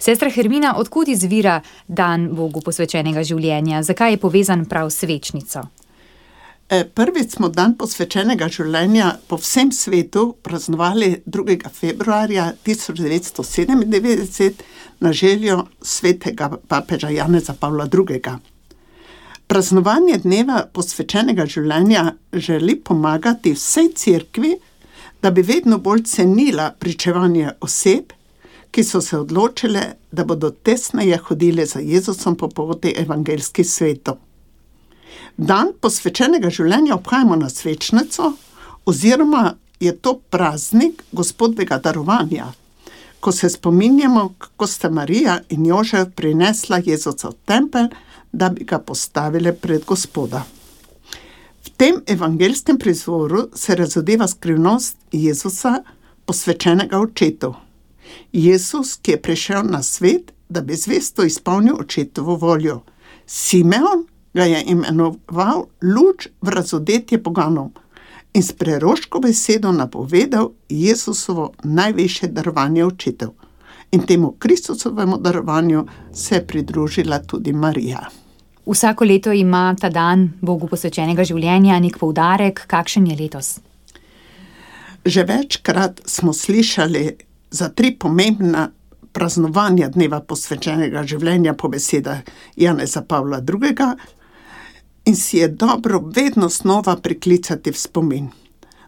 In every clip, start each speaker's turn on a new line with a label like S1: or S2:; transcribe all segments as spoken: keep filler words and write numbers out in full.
S1: Sestra Hermina, odkud izvira dan Bogu posvečenega življenja? Zakaj je povezan prav s svečnico?
S2: Prvič smo dan posvečenega življenja po vsem svetu praznovali drugega februarja tisoč devetsto sedemindevetdeset na željo svetega papeža Janeza Pavla drugega. Praznovanje dneva posvečenega življenja želi pomagati vsej cerkvi, da bi vedno bolj cenila pričevanje oseb, ki so se odločile, da bodo tesneje hodile za Jezusom po poti evangeljskih svetov. Dan posvečenega življenja obhajamo na svečnico, oziroma je to praznik Gospodovega darovanja, ko se spominjamo, kako sta Marija in Jožef prinesla Jezusa v tempelj, da bi ga postavile pred Gospoda. V tem evangeljskem prizvoru se razodeva skrivnost Jezusa, posvečenega očetu. Jezus, ki je prišel na svet, da bi zvesto izpolnil očetovo voljo. Simeon ga je imenoval luč v razodetje poganom in s preroško besedo napovedal Jezusovo najvišje darovanje očetov. In temu Kristusovemu darovanju se je pridružila tudi Marija.
S1: Vsako leto ima ta dan Bogu posvečenega življenja nek poudarek. Kakšen je letos?
S2: Že večkrat smo slišali za tri pomembna praznovanja dneva posvečenega življenja po besedah Janeza Pavla drugega in si je dobro vedno znova priklicati v spomin.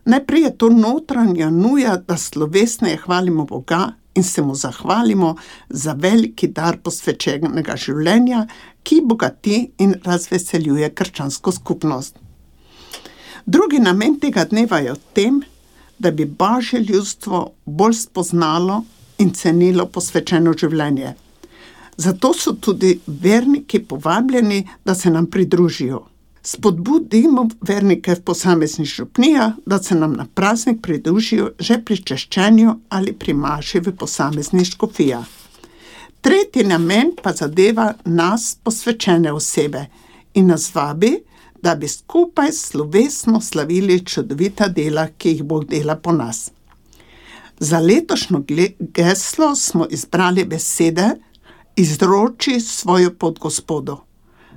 S2: Najprej je to notranja nuja, da slovesneje hvalimo Boga in se mu zahvalimo za veliki dar posvečenega življenja, ki bogati in razveseljuje krščansko skupnost. Drugi namen tega dneva je v tem, da bi Božje ljudstvo bolj spoznalo in cenilo posvečeno življenje. Zato so tudi verniki povabljeni, da se nam pridružijo. Spodbudimo vernike v posameznih župnijah, da se nam na praznik pridružijo že pri češčenju ali pri maši v posameznih škofijah. Tretji namen pa zadeva nas, posvečene osebe, in nas vabi, da bi skupaj slovesno slavili čudovita dela, ki jih Bog dela po nas. Za letošnjo geslo smo izbrali besede izroči svojo pot Gospodu,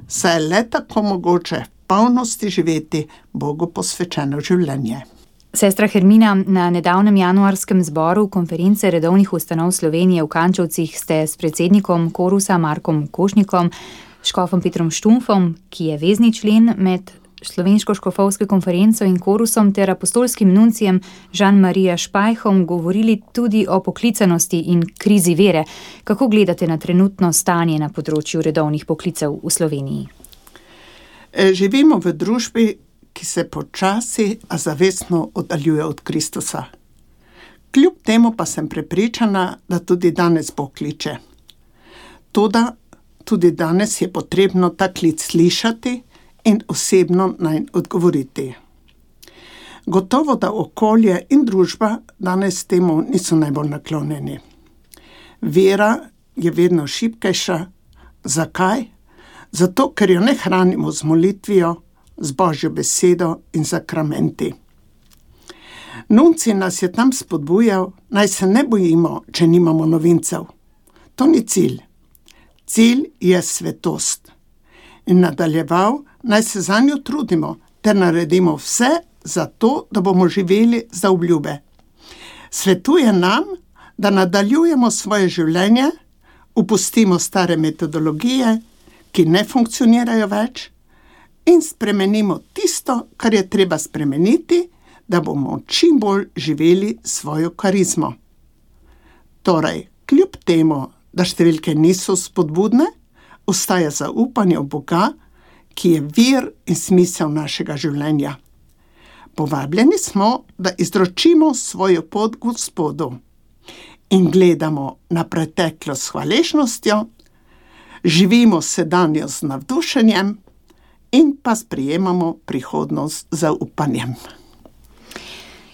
S2: saj je le tako mogoče v polnosti živeti Bogu posvečeno življenje.
S1: Sestra Hermina, na nedavnem januarskem zboru konference redovnih ustanov Slovenije v Kančevcih ste s predsednikom Korusa Markom Košnikom, škofom Petrom Štumfom, ki je vezni člen med Slovensko škofovsko konferenco in Korusom, ter apostolskim nuncijem Jean-Maria Špajhom govorili tudi o poklicanosti in krizi vere. Kako gledate na trenutno stanje na področju redovnih poklicev v Sloveniji?
S2: Živimo v družbi, ki se počasi, a zavestno oddaljuje od Kristusa. Kljub temu pa sem prepričana, da tudi danes Bog kliče. Toda tudi danes je potrebno ta klic slišati in osebno nanj odgovoriti. Gotovo, da okolje in družba danes temu niso najbolj naklonjeni. Vera je vedno šibkejša. Zakaj? Zato, ker jo ne hranimo z molitvijo, z Božjo besedo in sakramenti. Nuncij nas je tam spodbujal, naj se ne bojimo, če nimamo novincev. To ni cilj. Cilj je svetost. In nadaljeval, naj se zanjo trudimo, ter naredimo vse za to, da bomo živeli za obljube. Svetuje nam, da nadaljujemo svoje življenje, opustimo stare metodologije, ki ne funkcionirajo več, in spremenimo tisto, kar je treba spremeniti, da bomo čim bolj živeli svojo karizmo. Torej, kljub temu, da številke niso spodbudne, ostaja zaupanje v Boga, ki je vir in smisel našega življenja. Povabljeni smo, da izročimo svojo pot Gospodu in gledamo na preteklost s hvaležnostjo, živimo sedanjo z navdušenjem in pa sprejemamo prihodnost z zaupanjem.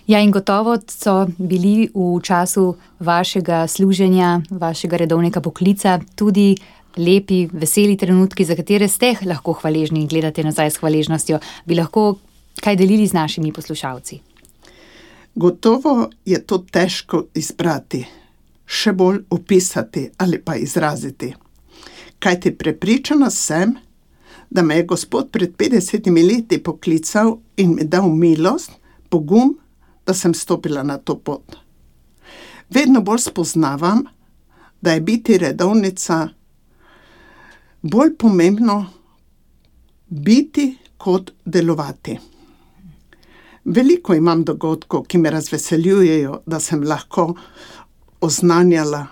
S1: Ja, in gotovo so bili v času vašega služenja, vašega redovnega poklica tudi lepi, veseli trenutki, za katere ste lahko hvaležni in gledate nazaj s hvaležnostjo. Bi lahko kaj delili z našimi poslušalci?
S2: Gotovo je to težko izbrati. še bolj opisati ali pa izraziti. Kajti prepričana sem, da me je Gospod pred petdesetimi leti poklical in mi dal milost, pogum, da sem stopila na to pot. Vedno bolj spoznavam, da je biti redovnica bolj pomembno biti kot delovati. Veliko imam dogodkov, ki me razveseljujejo, da sem lahko oznanjala,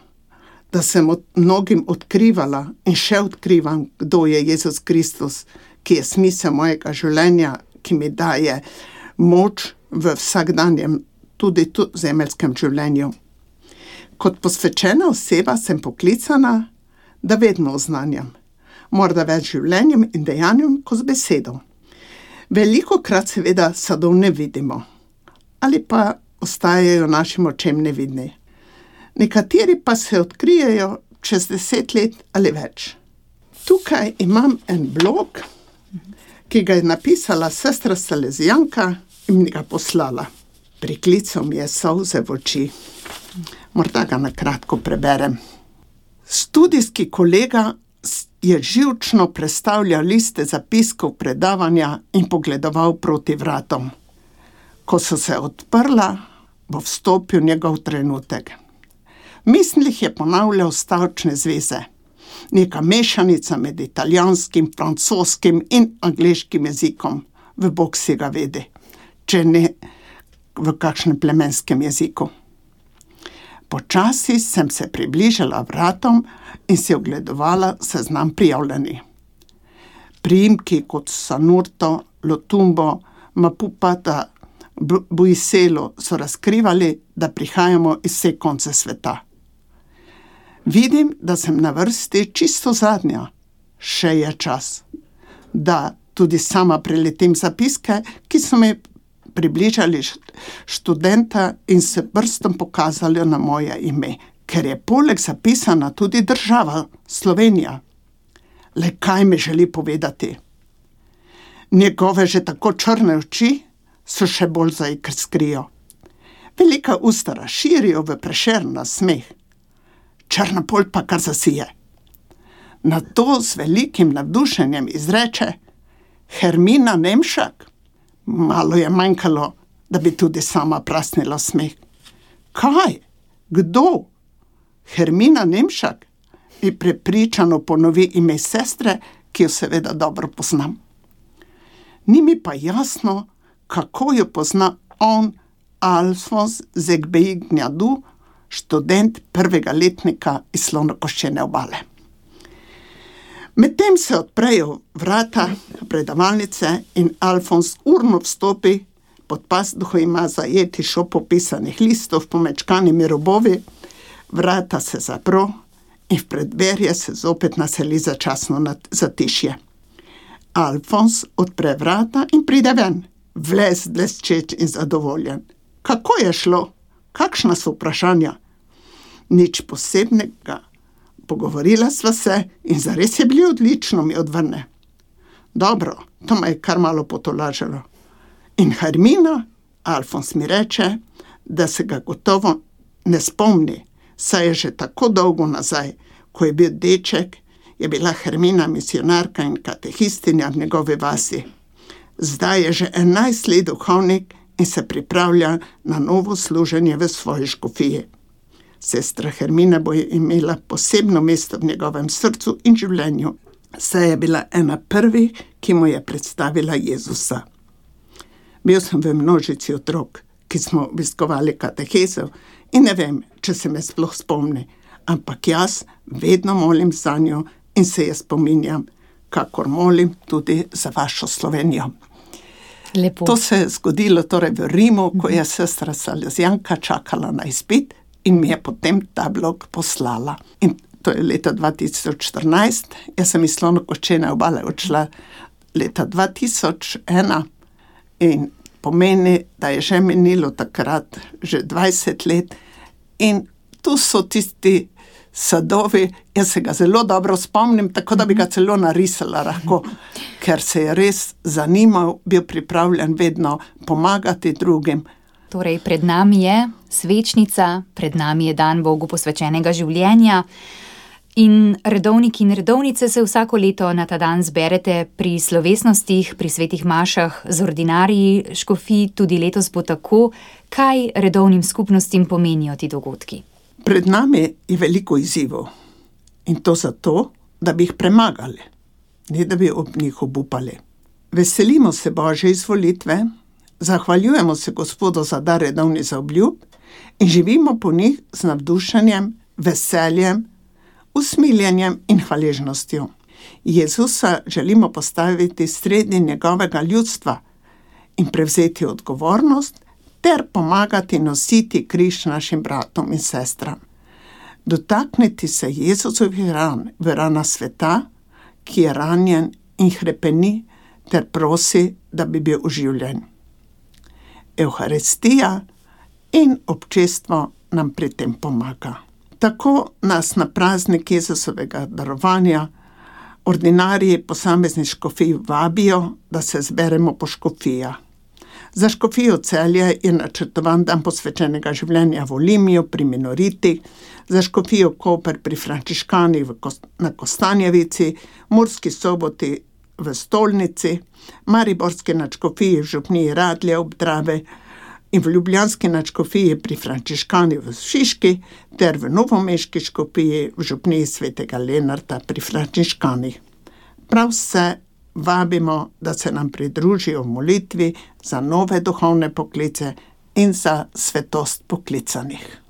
S2: da sem od, mnogim odkrivala in še odkrivam, kdo je Jezus Kristus, ki je smisel mojega življenja, ki mi daje moč v vsakdanjem, tudi tu zemeljskem življenju. Kot posvečena oseba sem poklicana, da vedno oznanjam, morda več življenjem in dejanjem kot z besedo. Veliko krat seveda sadov ne vidimo, ali pa ostajajo našim očem nevidni. Nekateri pa se odkrijejo čez deset let ali več. Tukaj imam en blog, ki ga je napisala sestra Salezijanka in mi ga poslala. Priklical mi je solze v oči. Morda ga na kratko preberem. Studijski kolega je živčno prestavljal liste zapiskov predavanja in pogledoval proti vratom. Ko so se odprla, bo vstopil njegov trenutek. V mislih je ponavljal stavčne zveze. Neka mešanica med italijanskim, francoskim in angleškim jezikom. V Bog si ga vedi, če ne v kakšnem plemenskem jeziku. Počasi sem se približala vratom in si ogledovala seznam prijavljenih. Priimki kot Sanurto, Lotumbo, Mapupata, Buiselo so razkrivali, da prihajamo iz vse konce sveta. Vidim, da sem na vrsti čisto zadnja. Še je čas, da tudi sama preletim zapiske, ki so mi približali študenta in se prstom pokazali na moje ime, ker je poleg zapisana tudi država Slovenija. Le kaj mi želi povedati? Njegove že tako črne oči so še bolj zaiskrijo. Velika usta razširijo v Prešeren nasmeh. Črna polt pa kar zasije. Nato z velikim navdušenjem izreče: Hermina Nemšak. Malo je manjkalo, da bi tudi sama prasnila smeh. Kaj? Kdo? Hermina Nemšak? Mi prepričano ponovi ime sestre, ki jo seveda dobro poznam. Ni mi pa jasno, kako jo pozna on, Alfons Zegbejignjadu, študent prvega letnika iz Slonokoščene obale. Medtem se odprejo vrata predavalnice in Alfons urno vstopi, pod pazduho ima zajeti šop popisanih listov pomečkanimi robovi, vrata se zapro in v preddverje se zopet naseli začasno zatišje. Alfons odpre vrata in pride ven, vles bleščeč in zadovoljen. Kako je šlo? Kakšna so vprašanja? Nič posebnega. Pogovorila sva se in zares je bilo odlično, mi odvrne. Dobro, to me je kar malo potolažilo. In Hermina, Alfons mi reče, da se ga gotovo ne spomni, saj je že tako dolgo nazaj, ko je bil deček, je bila Hermina misionarka in katehistinja v njegovi vasi. Zdaj je že enajst let duhovnik in se pripravlja na novo služenje v svoji škofiji. Sestra Hermina bo imela posebno mesto v njegovem srcu in življenju, saj je bila ena prvih, ki mu je predstavila Jezusa. Bil sem v množici otrok, ki smo obiskovali katehezo in ne vem, če se me sploh spomni, ampak jaz vedno molim za njo in se je spominjam, kakor molim tudi za vašo Slovenijo.
S1: Lepo.
S2: To se je zgodilo torej v Rimu, ko je sestra Salezijanka čakala na izpit in mi je potem ta blog poslala. In to je leta dva tisoč štirinajst, jaz sem iz Slonokoščene obale odšla leta dva tisoč ena in pomeni, da je že minilo takrat že dvajset let in tu so tisti sadovi, jaz se ga zelo dobro spomnim, tako da bi ga celo narisala lahko, ker se je res zanimal, bil pripravljen vedno pomagati drugim.
S1: Torej, pred nami je svečnica, pred nami je dan Bogu posvečenega življenja. In redovniki in redovnice se vsako leto na ta dan zberete pri slovesnostih, pri svetih mašah z ordinariji škofij, tudi letos bo tako. Kaj redovnim skupnostim pomenijo ti dogodki?
S2: Pred nami je veliko izzivov in to zato, da bi jih premagali, ne da bi ob njih obupali. Veselimo se Božje izvolitve, zahvaljujemo se Gospodu za dar redovnih zaobljub in živimo po njih z navdušenjem, veseljem, usmiljenjem in hvaležnostjo. Jezusa želimo postaviti sredi njegovega ljudstva in prevzeti odgovornost ter pomagati nositi križ našim bratom in sestram. Dotakniti se Jezusovih ran v rana sveta, ki je ranjen in hrepeni, ter prosi, da bi bil oživljen. Evharistija in občestvo nam pri tem pomaga. Tako nas na praznik Jezusovega darovanja ordinariji posameznih škofij vabijo, da se zberemo po škofijah. Za škofijo Celje je načrtovan dan posvečenega življenja v Olimiju pri minoritih, za škofijo Koper pri frančiškanih na Kostanjevici, Murski Soboti v Stolnici, mariborski nadškofiji v župniji Radlje ob Dravi in v ljubljanski nadškofiji pri frančiškanih v Šiški ter v novomeški škofiji v župniji svetega Lenarta pri frančiškanih. Prav vse vabimo, da se nam pridružijo v molitvi za nove duhovne poklice in za svetost poklicanih.